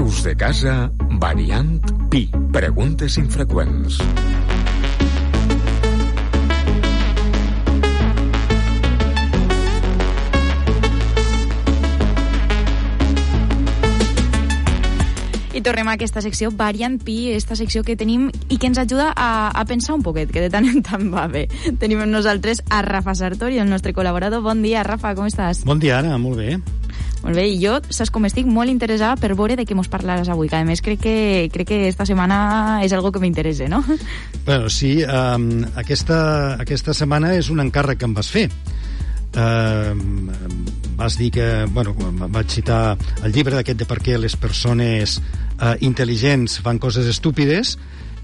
Veus de casa, variant Pi. Preguntes infreqüents. I tornem a aquesta secció, Variant Pi, aquesta secció que tenim i que ens ajuda a pensar un poquet, que de tant en tant va bé. Tenim amb nosaltres a Rafa Sartori, el nostre col·laborador. Bon dia, Rafa, com estàs? Bon dia, Anna, molt bé. Molt bé, i jo, saps com estic molt interessada per veure de què mos parlaràs avui, que a més crec que esta setmana és algo que m'interessa, no? Bueno, sí, aquesta setmana és un encàrrec que em vas fer. Vas dir que, bueno, vaig citar el llibre d'aquest de per què les persones intel·ligents fan coses estúpides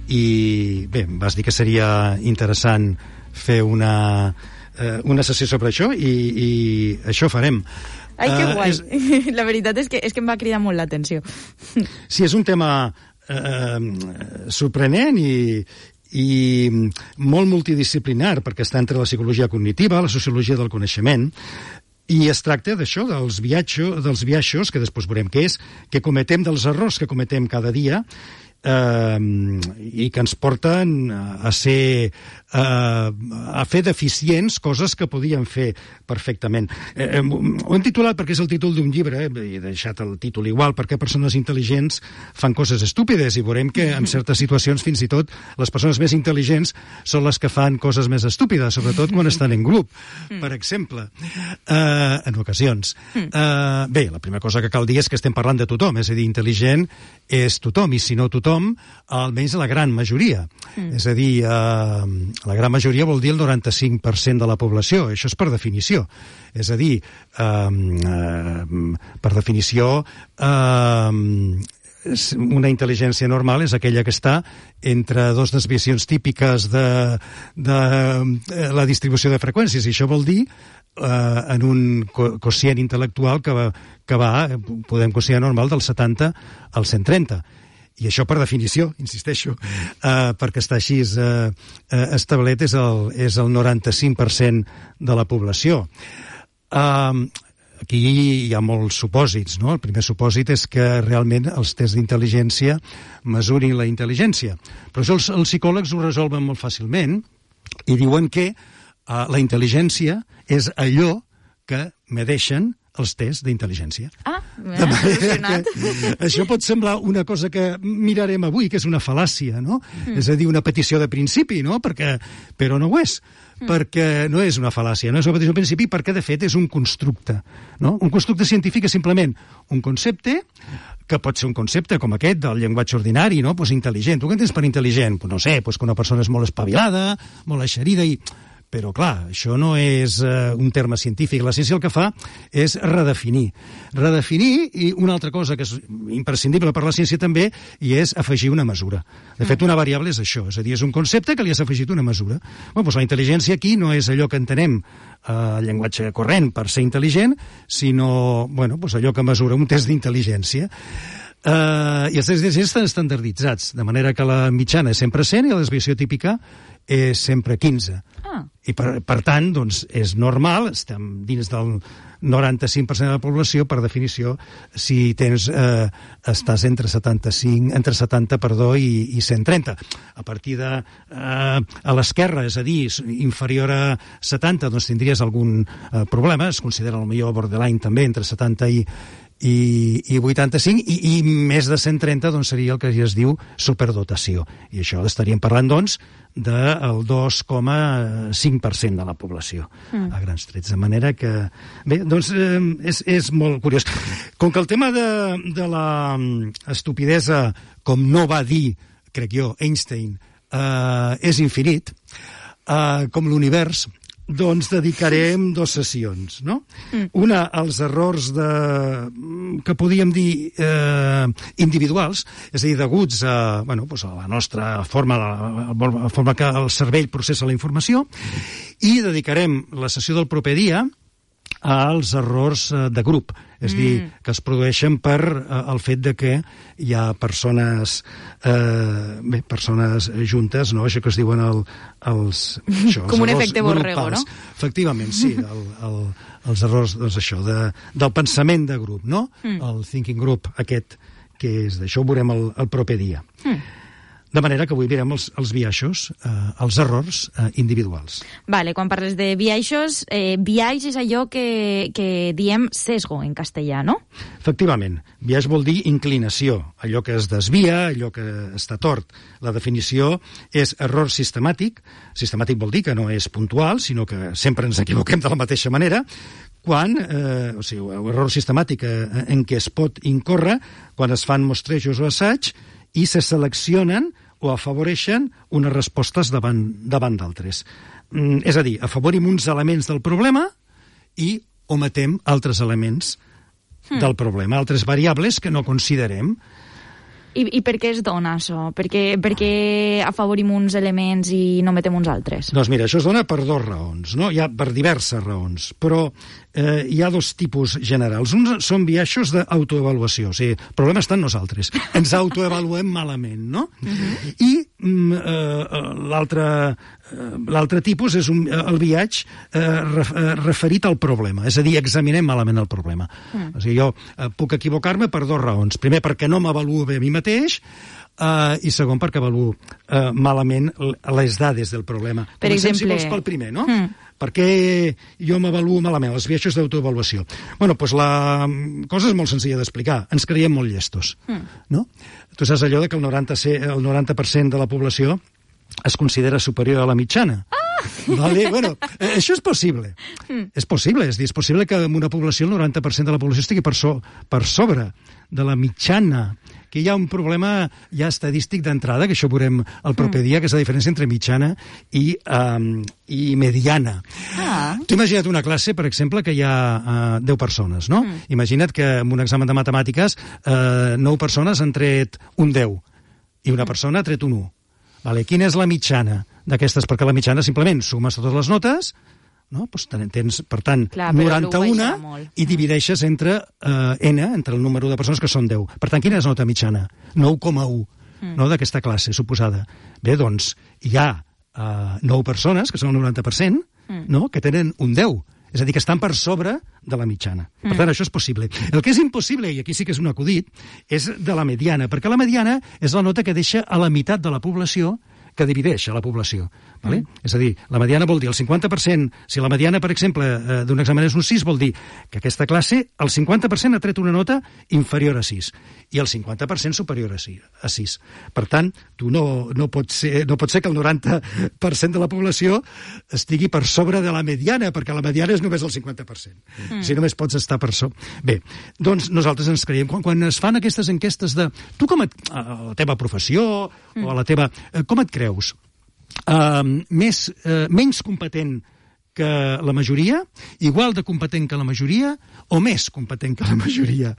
i bé, vas dir que seria interessant fer una sessió sobre això i això farem. Ai, que guai. La veritat és que em va cridar molt l'atenció. Sí, és un tema sorprenent i molt multidisciplinar, perquè està entre la psicologia cognitiva, la sociologia del coneixement, i es tracta d'això, dels biaixos, que després veurem què és, que cometem, dels errors que cometem cada dia, i que ens porten a fer deficients coses que podíem fer perfectament. Ho hem titulat perquè és el títol d'un llibre, he deixat el títol igual, perquè persones intel·ligents fan coses estúpides, i veurem que en certes situacions fins i tot les persones més intel·ligents són les que fan coses més estúpides, sobretot quan estan en grup, per exemple, en ocasions. Bé, la primera cosa que cal dir és que estem parlant de tothom, és a dir, intel·ligent és tothom, i si no tothom, almenys la gran majoria. És a dir, la gran majoria vol dir el 95% de la població. Això és per definició. És a dir, per definició, una intel·ligència normal és aquella que està entre dos desviacions típiques de la distribució de freqüències, i això vol dir en un quocient intel·lectual que va, podem considerar normal, del 70 al 130. I això, per definició, insisteixo, perquè està així establert, és el 95% de la població. Aquí hi ha molts supòsits, no? El primer supòsit és que realment els tests d'intel·ligència mesurin la intel·ligència. Però això els psicòlegs ho resolven molt fàcilment i diuen que la intel·ligència és allò que medeixen els tests d'intel·ligència. M'ha emocionat. Això pot semblar una cosa que mirarem avui, que és una fal·làcia, no? És a dir, una petició de principi, no? Però no ho és. Perquè no és una fal·làcia, no és una petició de principi, perquè, de fet, és un constructe, no? Un constructe científic és simplement un concepte, que pot ser un concepte com aquest del llenguatge ordinari, no? Pues intel·ligent. Tu què entens per intel·ligent? Pues no sé, pues que una persona és molt espavilada, molt eixerida i... Però, clar, això no és un terme científic. La ciència el que fa és redefinir. I una altra cosa que és imprescindible per la ciència també, i és afegir una mesura. De fet, una variable és això, és a dir, és un concepte que li has afegit una mesura. Doncs la intel·ligència aquí no és allò que entenem el llenguatge corrent per ser intel·ligent, sinó allò que mesura un test d'intel·ligència. I els tests d'intel·ligència estan estandarditzats, de manera que la mitjana és sempre 100 i la desviació típica és sempre 15. I per tant, doncs, és normal, estem dins del 95% de la població, per definició, si estàs entre 70 i 130. A partir de a l'esquerra, és a dir, inferior a 70, doncs tindries algun problema, es considera potser borderline també, entre 70 i 85, i més de 130 doncs seria el que es diu superdotació, i això estaríem parlant doncs del 2,5% de la població a grans trets, de manera que bé, doncs és molt curiós. Com que el tema de la estupidesa, com no va dir, crec jo, Einstein, és infinit, com l'univers, doncs dedicarem 2 sessions, no? Una als errors que podíem dir individuals, és a dir, deguts a la nostra forma, la forma que el cervell processa la informació, i dedicarem la sessió del proper dia als errors de grup, és a dir, que es produeixen per el fet de que hi ha persones juntes, no? Això que es diuen com un efecte borrego, no? Efectivament, sí, els errors, doncs això, del pensament de grup, no? El thinking group aquest què és. D'això ho veurem el proper dia. De manera que avui mirem els biaixos, els errors individuals. Vale, quan parles de biaixos, biaix és allò que diem sesgo en castellà, no? Efectivament, biaix vol dir inclinació, allò que es desvia, allò que està tort. La definició és error sistemàtic. Sistemàtic vol dir que no és puntual, sinó que sempre ens equivoquem de la mateixa manera, quan, o sigui, error sistemàtic en què es pot incórrer quan es fan mostrejos o assaig i se seleccionen o afavoreixen unes respostes davant d'altres. És a dir, afavorim uns elements del problema i ometem altres elements del problema, altres variables que no considerem. I per què es dona això? Per què afavorim uns elements i no metem uns altres? Doncs mira, això es dona per dues raons, no? Hi ha per diverses raons, però hi ha dos tipus generals. Uns són biaixos d'autoavaluació, o sigui, el problema està en nosaltres. Ens autoavaluem malament, no? I l'altre tipus és el biaix referit al problema, és a dir, examinem malament el problema. O sigui, jo puc equivocar-me per dues raons. Primer, perquè no m'avaluo bé a mi mateix, i segon, perquè avaluo malament les dades del problema. Per exemple... Si vols pel primer, no? Per què jo m'avaluo malament, els biaixos d'autoavaluació? Bueno, doncs la cosa és molt senzilla d'explicar. Ens creiem molt llestos, no? Tu saps allò que el 90% de la població es considera superior a la mitjana. Vale? Bueno, això és possible. És possible que en una població el 90% de la població estigui per sobre de la mitjana, que hi ha un problema ja estadístic d'entrada, que això ho veurem el proper dia, que és la diferència entre mitjana i mediana. Tu imagina't una classe, per exemple, que hi ha 10 persones, no? Imagina't que en un examen de matemàtiques 9 persones han tret un 10 i una persona ha tret un 1. Vale, quina és la mitjana d'aquestes? Perquè la mitjana simplement sumes totes les notes, no? Pues tens, per tant, 91 i divideixes entre n, entre el número de persones que són 10. Per tant, quina és la nota mitjana? 9,1, no, d'aquesta classe suposada. Bé, doncs, hi ha 9 persones, que són el 90%, no? Que tenen un 10. És a dir, que estan per sobre de la mitjana. Per tant, això és possible. El que és impossible, i aquí sí que és un acudit, és de la mediana, perquè la mediana és la nota que deixa a la meitat de la població que divideix a la població. Vale? És a dir, la mediana vol dir el 50%, si la mediana, per exemple, d'un examen és un 6, vol dir que aquesta classe, el 50% ha tret una nota inferior a 6 i el 50% superior a 6. Per tant, tu no pot ser que el 90% de la població estigui per sobre de la mediana, perquè la mediana és només el 50%. Si només pots estar per sobre. Bé, doncs nosaltres ens creiem, quan es fan aquestes enquestes de tu a la teva professió o a la teva... Com et creus? Menys competent que la majoria, igual de competent que la majoria o més competent que la majoria?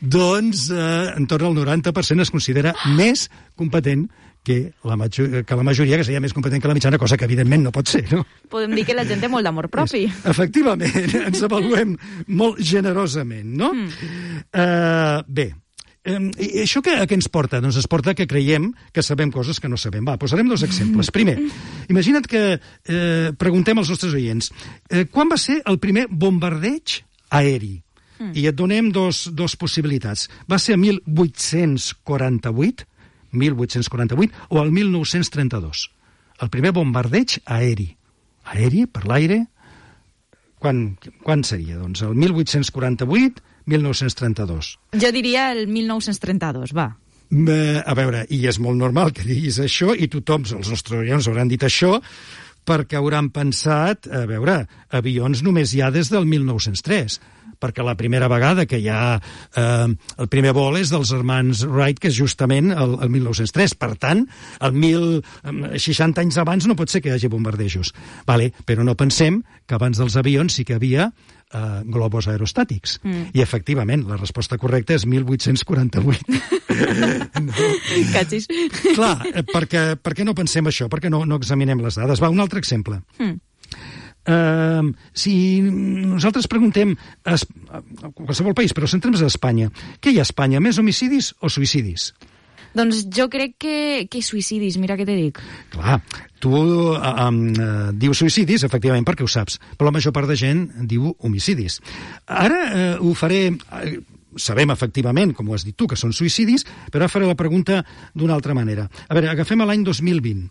Doncs entorn al 90% es considera més competent que la majoria, que seria més competent que la mitjana, cosa que evidentment no pot ser, no? Podem dir que la gent té molt d'amor propi. Efectivament, ens avaluem molt generosament, no? Bé, i això a què ens porta? Doncs ens porta que creiem que sabem coses que no sabem. Va, posarem dos exemples. Primer, imagina't que preguntem als nostres oients quan va ser el primer bombardeig aeri? I et donem dos possibilitats. Va ser el 1848 o el 1932. El primer bombardeig aeri. Aeri, per l'aire. Quan seria? Doncs el 1848, 1932. Jo diria el 1932, va. A veure, i és molt normal que diguis això, i tothom, els nostres oients hauran dit això, perquè hauran pensat, a veure, avions només hi ha des del 1903, perquè la primera vegada que hi ha el primer vol és dels germans Wright, que és justament el 1903. Per tant, 60 anys abans no pot ser que hi hagi bombardejos. Vale, però no pensem que abans dels avions sí que hi havia globus aerostàtics. I, efectivament, la resposta correcta és 1848. No? Cachis. Clar, per què no pensem això? Per què no examinem les dades? Va, un altre exemple. Si nosaltres preguntem a qualsevol país, però centrem-nos a Espanya, què hi ha a Espanya, més homicidis o suïcidis? Doncs jo crec que suïcidis, mira què te dic. Clar, tu dius suïcidis, efectivament, perquè ho saps, però la major part de gent diu homicidis. Ara ho faré... sabem efectivament, com ho has dit tu, que són suïcidis, però ara faré la pregunta d'una altra manera. A veure, agafem l'any 2020,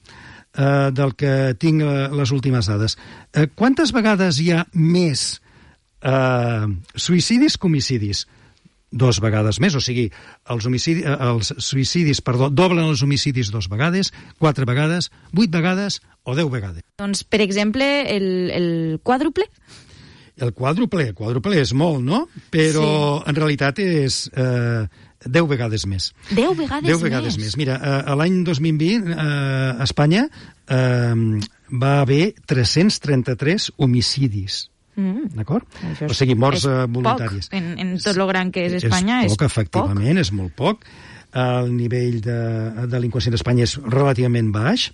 del que tinc les últimes dades. Quantes vegades hi ha més suïcidis que homicidis? 2 vegades més, o sigui, els suïcidis, doblen els homicidis 2 vegades, 4 vegades, 8 vegades o 10 vegades. Doncs, per exemple, el quàdruple? El quàdruple és molt, no? Però en realitat és 10 vegades més. 10 vegades més? Mira, l'any 2020 a Espanya va haver 333 homicidis. D'acord? O sigui, morts voluntàries. En tot lo gran que és Espanya és poc. Efectivament, és molt poc. El nivell de delinqüència d'Espanya és relativament baix.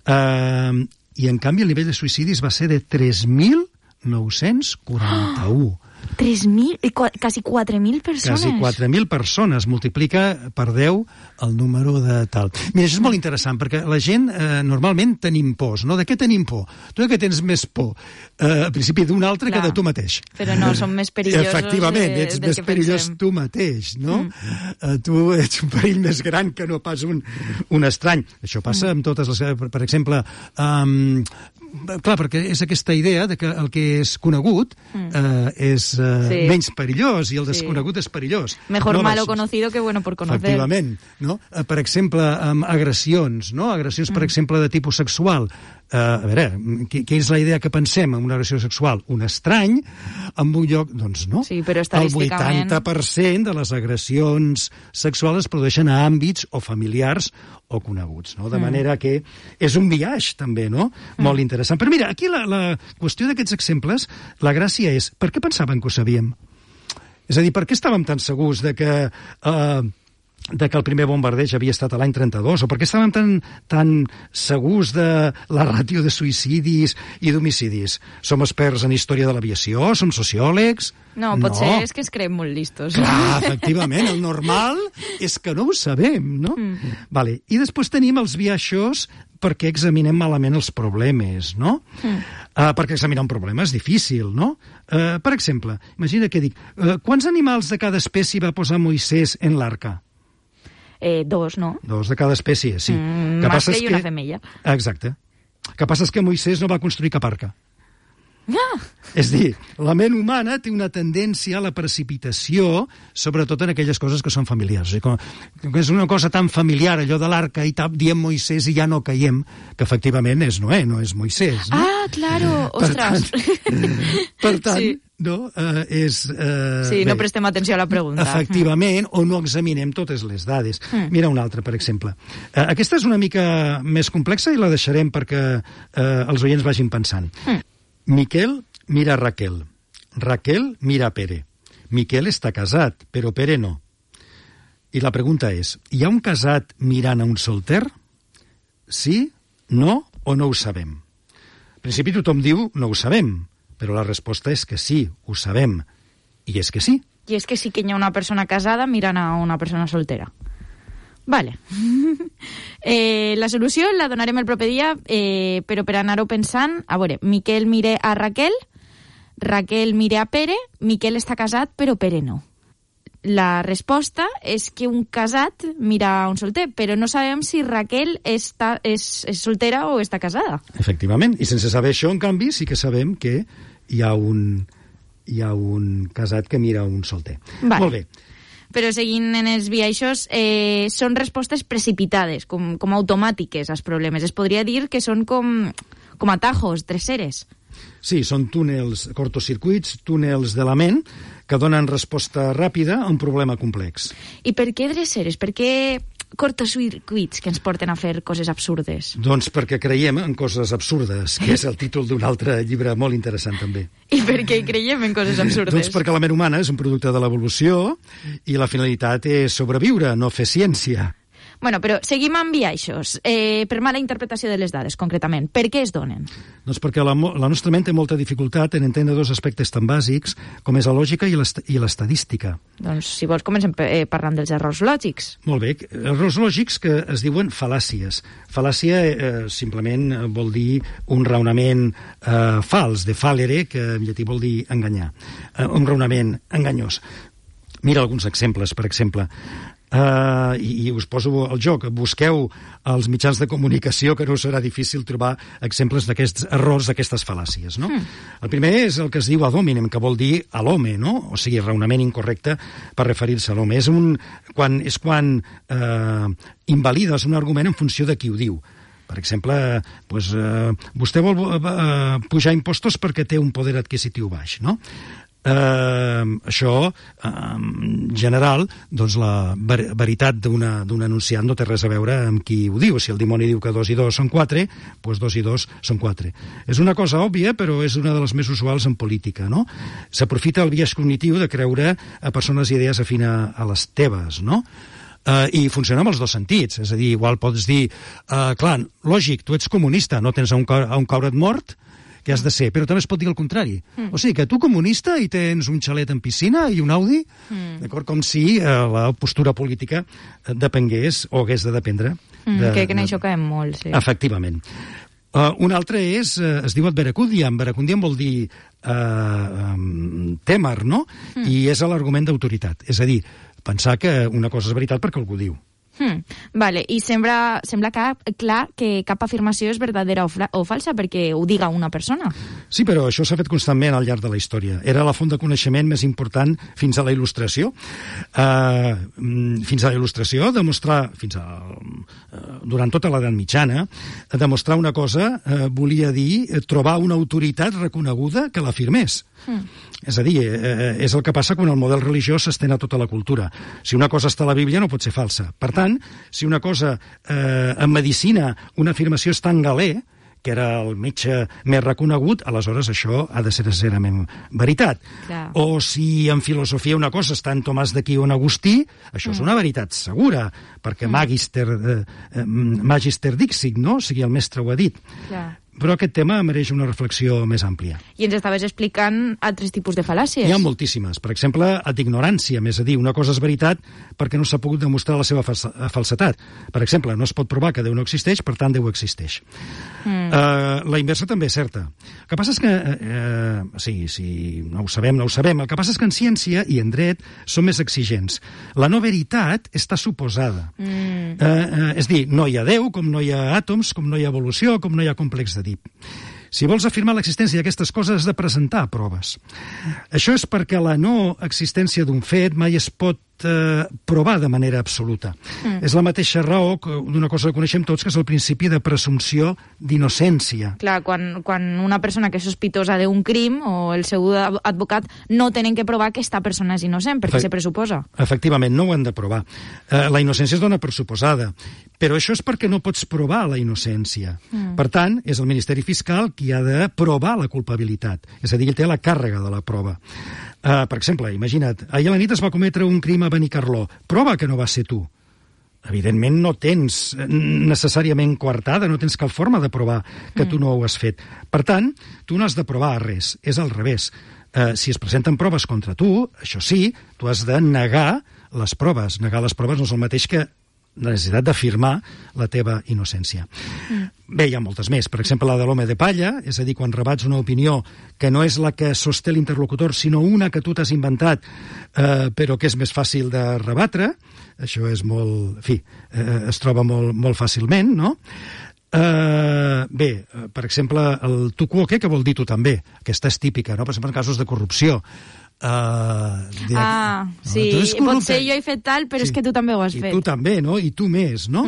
I, en canvi, el nivell de suïcidis va ser de 3.941. 3.000, quasi 4.000 persones. Quasi 4.000 persones, multiplica per 10 el número de tal. Mira, això és molt interessant, perquè la gent normalment tenim pors, no? De què tenim por? Tu de què tens més por? Al principi d'un altre que de tu mateix. Però no, som més perillosos. Efectivament, ets més perillós tu mateix, no? Tu ets un perill més gran que no pas un estrany. Això passa amb totes les... Per exemple, clar, perquè és aquesta idea de que el que és conegut és menys perillós i el desconegut és perillós. Mejor malo conocido que bueno por conocer. Efectivament, no? Per exemple, amb agressions, no? Agressions, per exemple, de tipus sexual. A veure, què és la idea que pensem en una agressió sexual? Un estrany en un lloc... Doncs no. Sí, però estadísticament... El 80% de les agressions sexuals es produeixen a àmbits o familiars o coneguts, no? De manera que és un biaix, també, no? Molt interessant. Però mira, aquí la qüestió d'aquests exemples, la gràcia és, per què pensaven que ho sabíem? És a dir, per què estàvem tan segurs de que el primer bombardeig havia estat a l'any 32, o per què estàvem tan segurs de la ràtio de suïcidis i d'homicidis? Som experts en història de l'aviació? Som sociòlegs? No, potser és que es creiem molt listos. Clar, efectivament, el normal és que no ho sabem, no? Vale. I després tenim els biaixos perquè examinem malament els problemes, no? Perquè examinar un problema és difícil, no? Per exemple, imagina que dic, quants animals de cada espècie va posar Moisès en l'arca? 2, no? 2 de cada espècie, sí. Mascle i una femella. Exacte. El que passa és que Moisès no va construir cap arca. És dir, la ment humana té una tendència a la precipitació, sobretot en aquelles coses que són familiars. És una cosa tan familiar, allò de l'arca, i diem Moisès i ja no caiem, que efectivament és Noé, no és Moisès. No? Claro, ostres. Per tant, sí. No? No prestem atenció a la pregunta. Efectivament, o no examinem totes les dades. Mira una altra, per exemple. Aquesta és una mica més complexa i la deixarem perquè els oients vagin pensant. Miquel mira Raquel. Raquel mira Pere. Miquel està casat, però Pere no. I la pregunta és, hi ha un casat mirant a un solter? Sí, no o no ho sabem? En principi tothom diu no ho sabem, però la resposta és que sí, ho sabem. I és que sí. I és que sí que hi ha una persona casada mirant a una persona soltera. Vale. La solució la donarem el proper dia, però per anar-ho pensant, a veure, Miquel mira a Raquel, Raquel mira a Pere, Miquel està casat, però Pere no. La resposta és que un casat mira a un solter, però no sabem si Raquel és soltera o està casada. Efectivament, i sense saber això, en canvi, sí que sabem que hi ha un casat que mira a un solter. Vale. Molt bé. Però seguint en els biaixos, són respostes precipitades, com automàtiques als problemes. Es podria dir que són com atajos, dreceres. Sí, són túnels, cortocircuits, túnels de la ment que donen resposta ràpida a un problema complex. I per què dreceres? Per què cortocircuits que ens porten a fer coses absurdes? Doncs perquè creiem en coses absurdes, que és el títol d'un altre llibre molt interessant també. I per què creiem en coses absurdes? Doncs perquè la ment humana és un producte de l'evolució i la finalitat és sobreviure, no fer ciència. Bueno, però seguim amb biaixos. Per mala interpretació de les dades, concretament. Per què es donen? Doncs perquè la nostra ment té molta dificultat en entendre 2 aspectes tan bàsics com és la lògica i l'estadística. Doncs, si vols, comencem parlant dels errors lògics. Molt bé. Errors lògics que es diuen fal·làcies. Fal·làcia simplement vol dir un raonament fals, de fallere, que en llatí vol dir enganyar. Un raonament enganyós. Mira alguns exemples, per exemple. I us poso al joc. Busqueu als mitjans de comunicació, que no serà difícil trobar exemples d'aquests errors, d'aquestes fal·làcies, no? El primer és el que es diu ad hominem, que vol dir a l'home, no? O sigui, raonament incorrecte per referir-se a l'home. És quan invalides un argument en funció de qui ho diu. Per exemple, vostè vol pujar impostos perquè té un poder adquisitiu baix, no? Això, en general, doncs la veritat d'un anunciant no té res a veure amb qui ho diu. Si el dimoni diu que 2 i 2 són 4, doncs 2 i 2 són 4. És una cosa òbvia, però és una de les més usuals en política, no? S'aprofita el biaix cognitiu de creure a persones i idees afines a les teves, no? I funciona amb els dos sentits. És a dir, igual pots dir, clar, lògic, tu ets comunista, no tens on caure't mort, que has de ser, però també es pot dir el contrari. O sigui, que tu comunista i tens un xalet en piscina i un Audi, d'acord? Com si la postura política depengués o hagués de dependre. Que en això caem molt, sí. Efectivament. Un altre es diu adveracundiam. Veracundiam vol dir témer, no? I és l'argument d'autoritat. És a dir, pensar que una cosa és veritat perquè algú diu. Vale, i sembla clar que cap afirmació és verdadera o falsa perquè ho diga una persona. Sí, però això s'ha fet constantment al llarg de la història. Era la font de coneixement més important fins a la Il·lustració. Fins a la Il·lustració, durant tota l'edat mitjana, demostrar una cosa volia dir trobar una autoritat reconeguda que l'afirmés. És a dir, és el que passa quan el model religiós s'estén a tota la cultura. Si una cosa està a la Bíblia no pot ser falsa. Per tant, si una cosa en medicina, una afirmació és tan galè, que era el metge més reconegut, aleshores això ha de ser necessàriament veritat. Clar. O si en filosofia una cosa està en Tomàs d'Aquí o en Agustí, això és una veritat segura, perquè magister dixit, no? O sigui, el mestre ho ha dit. Clar. Però aquest tema mereix una reflexió més àmplia. I ens estaves explicant altres tipus de fal·làcies. Hi ha moltíssimes. Per exemple, d'ignorància, és a dir, una cosa és veritat perquè no s'ha pogut demostrar la seva falsetat. Per exemple, no es pot provar que Déu no existeix, per tant, Déu existeix. La inversa també és certa. El que passa és que, si no ho sabem, no ho sabem. El que passa és que en ciència i en dret són més exigents. La no veritat està suposada. És dir, no hi ha Déu, com no hi ha àtoms, com no hi ha evolució, com no hi ha complex de Si vols afirmar l'existència d'aquestes coses, has de presentar proves. Això és perquè la no existència d'un fet mai es pot provar de manera absoluta. És la mateixa raó d'una cosa que coneixem tots, que és el principi de presumpció d'innocència. Clar, quan una persona que és sospitosa d'un crim o el seu advocat no tenen que provar que aquesta persona és innocent, perquè se pressuposa. Efectivament, no ho han de provar. La innocència es dona per suposada, però això és perquè no pots provar la innocència. Per tant, és el Ministeri Fiscal qui ha de provar la culpabilitat. És a dir, ell té la càrrega de la prova. Per exemple, imagina't, ahir a la nit es va cometre un crim a Benicarló. Prova que no va ser tu. Evidentment no tens necessàriament coartada, no tens cap forma de provar que tu no ho has fet. Per tant, tu no has de provar res, és al revés. Si es presenten proves contra tu, això sí, tu has de negar les proves. Negar les proves no és el mateix que la necessitat d'afirmar la teva innocència. Bé, hi ha moltes més. Per exemple, la de l'home de palla, és a dir, quan rebats una opinió que no és la que sosté l'interlocutor, sinó una que tu t'has inventat, però que és més fàcil de rebatre. Això és molt... En fi, es troba molt fàcilment, no? Bé, per exemple, el tu quoque, que vol dir tu també. Aquesta és típica, no? Per exemple, en casos de corrupció. Sí, potser jo he fet tal, però és que tu també ho has fet. I tu també, no? I tu més, no?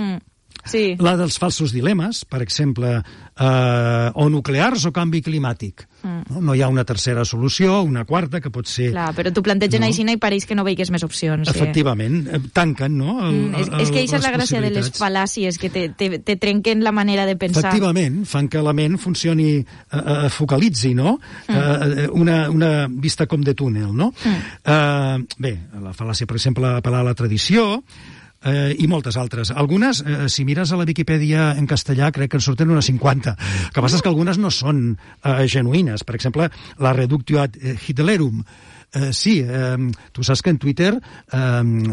Sí. La dels falsos dilemes, per exemple, o nuclears o canvi climàtic. No hi ha una tercera solució, una quarta, que pot ser... Clar, però tu plantegen així i pareix que no veigues més opcions. Efectivament, tanquen, no? És que això és la gràcia de les fal·làcies, que te trenquen la manera de pensar. Efectivament, fan que la ment funcioni, focalitzi, no? Una vista com de túnel, no? Bé, la fal·làcia, per exemple, apel·lar a la tradició, i moltes altres. Algunes, si mires a la Viquipèdia en castellà, crec que en surten unes 50. El que passa és que algunes no són genuïnes. Per exemple, la reductio ad Hitlerum, sí, tu saps que en Twitter,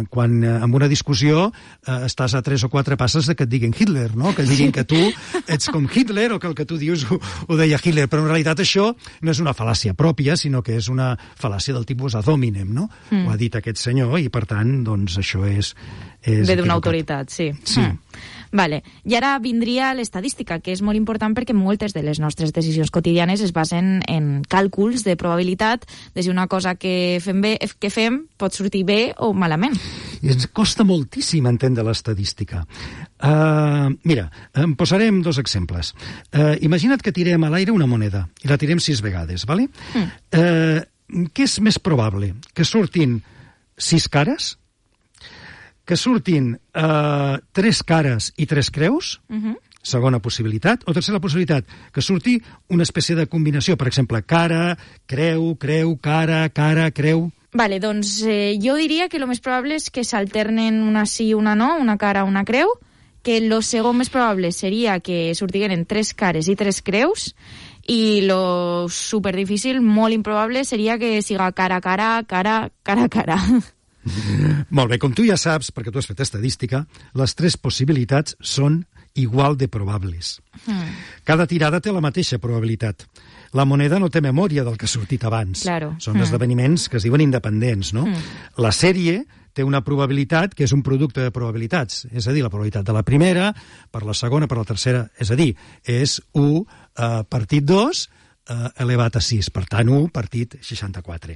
quan en una discussió estàs a 3 o 4 passes de que et diguin Hitler, no? Que diguin que tu ets com Hitler o que el que tu dius ho deia Hitler, però en realitat això no és una fal·làcia pròpia, sinó que és una fal·làcia del tipus ad hominem, no? Ho ha dit aquest senyor i, per tant, doncs això és ve d'una autoritat, sí. Sí. Vale. I ara vindria l'estadística, que és molt important perquè moltes de les nostres decisions quotidianes es basen en càlculs de probabilitat de si una cosa que fem pot sortir bé o malament. I ens costa moltíssim entendre l'estadística. Mira, em posarem 2 exemples. Imagina't que tirem a l'aire una moneda i la tirem 6 vegades, ¿vale? Què és més probable? Que surtin 6 cares? Que surtin 3 cares i 3 creus? Segona possibilitat. O tercera possibilitat, que surti una espècie de combinació, per exemple, cara, creu, cara, creu... Vale, doncs jo diria que el més probable és que s'alternen una sí i una no, una cara, una creu, que el segon més probable seria que sortigueren 3 cares i 3 creus, i lo superdifícil, molt improbable, seria que siga cara. Molt bé, com tu ja saps, perquè tu has fet estadística, les 3 possibilitats són igual de probables. Cada tirada té la mateixa probabilitat. La moneda no té memòria del que ha sortit abans. Claro. Són esdeveniments que es diuen independents, no? La sèrie té una probabilitat que és un producte de probabilitats, és a dir, la probabilitat de la primera per la segona, per la tercera, és a dir, és 1 partit 2 elevat a 6, per tant 1 partit 64.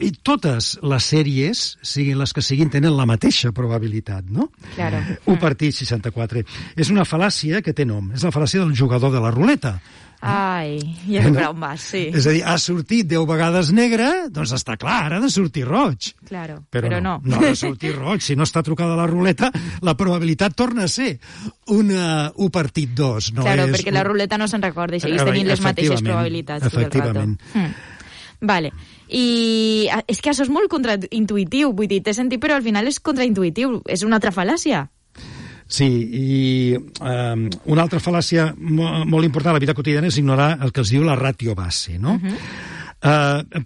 I totes les sèries, siguin les que siguin, tenen la mateixa probabilitat, no? Claro. 1 partit 64. És una fal·làcia que té nom, és la fal·làcia del jugador de la ruleta. Ai, ja sé per on vas, sí. És a dir, ha sortit 10 vegades negre, doncs està clar, ha de sortir roig. Claro, però no. No ha de sortir roig. Si no està trucada la ruleta, la probabilitat torna a ser un partit 2. No claro, és perquè la ruleta no se'n recorda i segueix tenint les mateixes probabilitats. Efectivament. Vale. I és que això és molt contraintuitiu, vull dir, t'he sentit, però al final és contraintuitiu, és una altra fal·làcia. Sí, i una altra fal·làcia molt important a la vida quotidiana és ignorar el que es diu la ràtio base, no?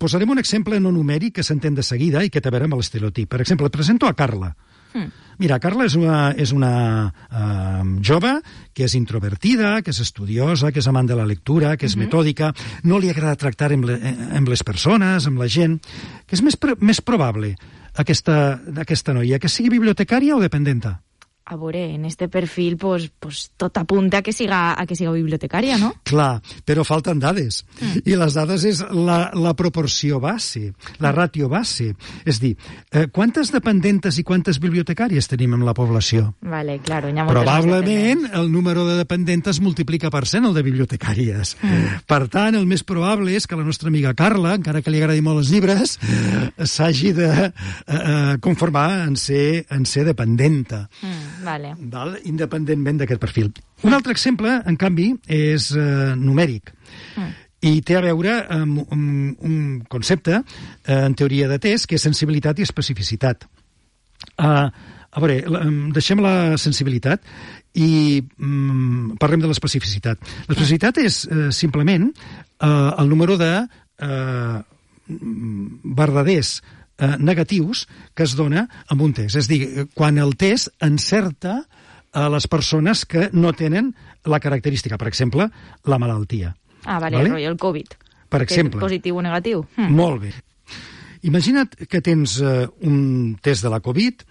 Posarem un exemple no numèric que s'entén de seguida i que té a veure amb l'estereotip. Per exemple, et presento a Carla. Mira, Carla és una jove que és introvertida, que és estudiosa, que és amant de la lectura, que és metòdica, no li agrada tractar amb les persones, amb la gent. Què és més probable, aquesta noia, que sigui bibliotecària o dependenta? A veure, en este perfil pues tot apunta a que siga bibliotecària, no? Clar, però falten dades. I les dades és la proporció base, la ràtio base. És dir, quantes dependentes i quantes bibliotecàries tenim en la població? Vale, claro, hi ha moltes probablement el número de dependentes multiplica per 100 el de bibliotecàries. Per tant, el més probable és que la nostra amiga Carla, encara que li agradi molt els llibres, s'hagi de conformar en ser dependenta. Vale. Independentment d'aquest perfil. Un altre exemple, en canvi, és numèric. I té a veure amb un concepte en teoria de test, que és sensibilitat i especificitat. A veure, deixem la sensibilitat i parlem de l'especificitat. L'especificitat és simplement el número de verdaders negatius que es dona amb un test. És a dir, quan el test encerta a les persones que no tenen la característica, per exemple, la malaltia. Vale? El Covid. Per exemple. Positiu o negatiu. Molt bé. Imagina't que tens un test de la Covid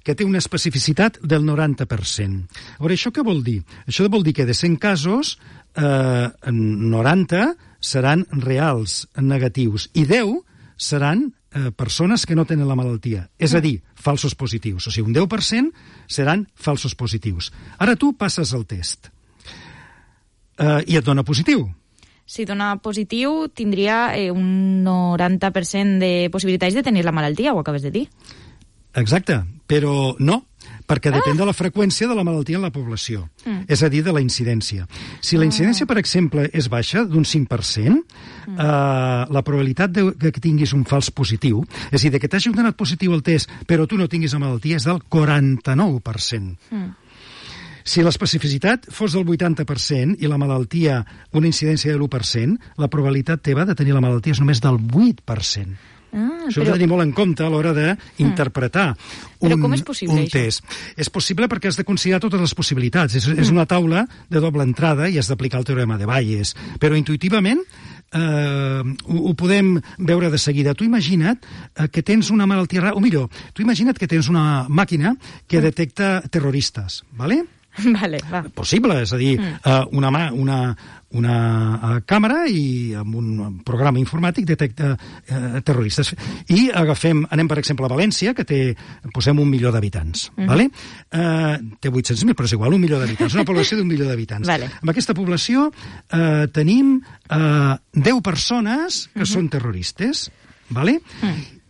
que té una especificitat del 90%. A veure, això què vol dir? Això vol dir que de 100 casos, 90 seran reals, negatius, i 10 seran persones que no tenen la malaltia. És a dir, falsos positius. O sigui, un 10% seran falsos positius. Ara tu passes el test i et dona positiu. Si dona positiu, tindria un 90% de possibilitats de tenir la malaltia, ho acabes de dir. Exacte, però no, perquè depèn de la freqüència de la malaltia en la població, és a dir, de la incidència. Si la incidència, per exemple, és baixa, d'un 5%, la probabilitat que tinguis un fals positiu, és a dir, que t'hagi donat positiu el test, però tu no tinguis la malaltia, és del 49%. Si l'especificitat fos del 80% i la malaltia una incidència de l'1%, la probabilitat teva de tenir la malaltia és només del 8%. Això ho hem de tenir molt en compte a l'hora d'interpretar com és possible, un test. És possible perquè has de considerar totes les possibilitats. És una taula de doble entrada i has d'aplicar el teorema de Bayes. Però intuïtivament ho podem veure de seguida. Tu imagina't que tens una malaltia rara, o millor, tu imagina't que tens una màquina que detecta terroristes, ¿vale? Vale, va. Possible, és a dir, una càmera i amb un programa informàtic detecta terroristes. I anem, per exemple, a València, que posem 1 milió d'habitants. Vale? Té 800.000, però és igual, 1 milió d'habitants. Una població d'1 milió d'habitants. Vale. Amb aquesta població tenim 10 persones que són terroristes. Vale?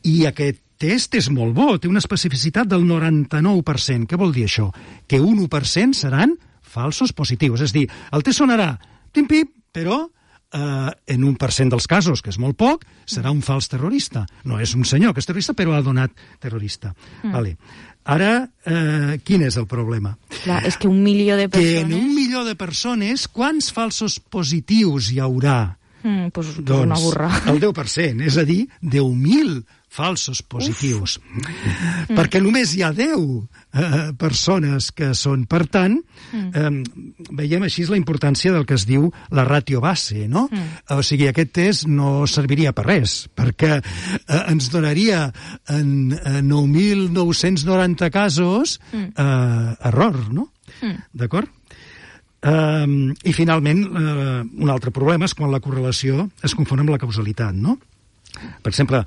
I aquest test és molt bo, té una especificitat del 99%. Què vol dir això? Que un 1% seran falsos positius. És a dir, el test sonarà pim-pim, però en 1% dels casos, que és molt poc, serà un fals terrorista. No és un senyor que és terrorista, però ha donat terrorista. Vale. Ara, quin és el problema? Clar, és que 1 milió de persones... Que en 1 milió de persones, quants falsos positius hi haurà? Doncs una burra. El 10%, és a dir, 10.000 falsos positius. Perquè només hi ha 10 persones que són. Per tant, veiem així la importància del que es diu la ràtio base, no? O sigui, aquest test no serviria per res, perquè ens donaria en 9.990 casos error, no? D'acord? I finalment, un altre problema és quan la correlació es confon amb la causalitat, no? Per exemple,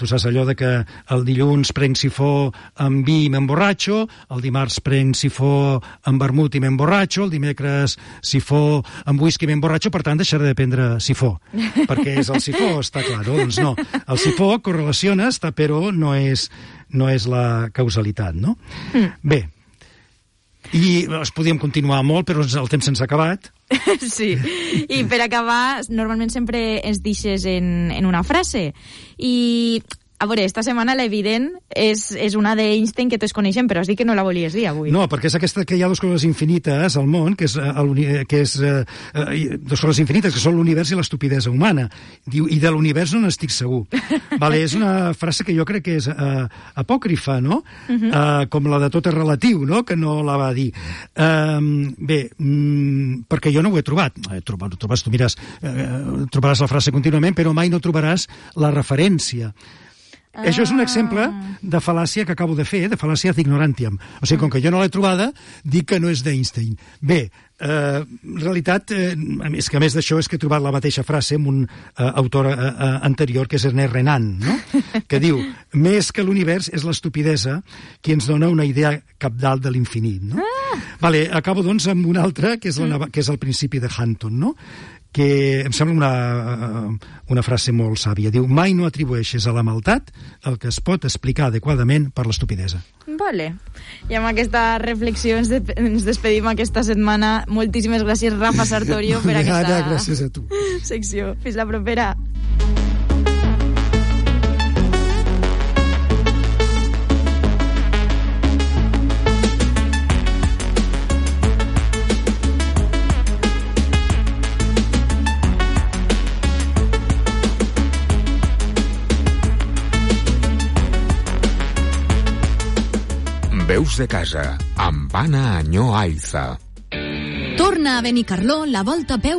tu saps allò de que el dilluns prenc sifó amb vi i m'emborratxo, el dimarts prenc sifó amb vermut i m'emborratxo, el dimecres sifó amb whisky i m'emborratxo, per tant deixaré de prendre sifó, perquè és el sifó, està clar, no? Doncs no, el sifó correlaciona, però no és la causalitat, no? Bé, i es podíem continuar molt, però el temps se'ns ha acabat. Sí, i per acabar, normalment sempre ens deixes en una frase. I, a veure, esta setmana l'evident és una d'Einstein que tots coneixem, però has dit que no la volies dir avui. No, perquè és aquesta que hi ha dues coses infinites al món, que és dues coses infinites, que són l'univers i l'estupidesa humana. Diu, i de l'univers no n'estic segur. Vale, és una frase que jo crec que és apòcrifa, no? Com la de tot és relatiu, no? Que no la va dir. Bé, perquè jo no ho he trobat. Trobes, tu mires, trobaràs la frase contínuament, però mai no trobaràs la referència. Això és un exemple de fal·làcia que acabo de fer, de fal·làcia ad ignorantiam. O sigui, com que jo no l'he trobada, dic que no és d'Einstein. Bé, en realitat, és que a més d'això és que he trobat la mateixa frase amb un autor anterior, que és Ernest Renan, no? Que diu, més que l'univers és l'estupidesa qui ens dona una idea cabdal de l'infinit, no? Vale, acabo doncs amb un altre, que és el principi de Hunton, no? Que em sembla una frase molt sàvia. Diu, mai no atribueixes a la maldat el que es pot explicar adequadament per l'estupidesa. Vale. I amb aquesta reflexió ens despedim aquesta setmana. Moltíssimes gràcies, Rafa Sartorio, per aquesta gràcies a tu. Secció. Fins la propera. Veus de casa, amb Anna Añó Aiza. Torna a Benicarló la volta a peu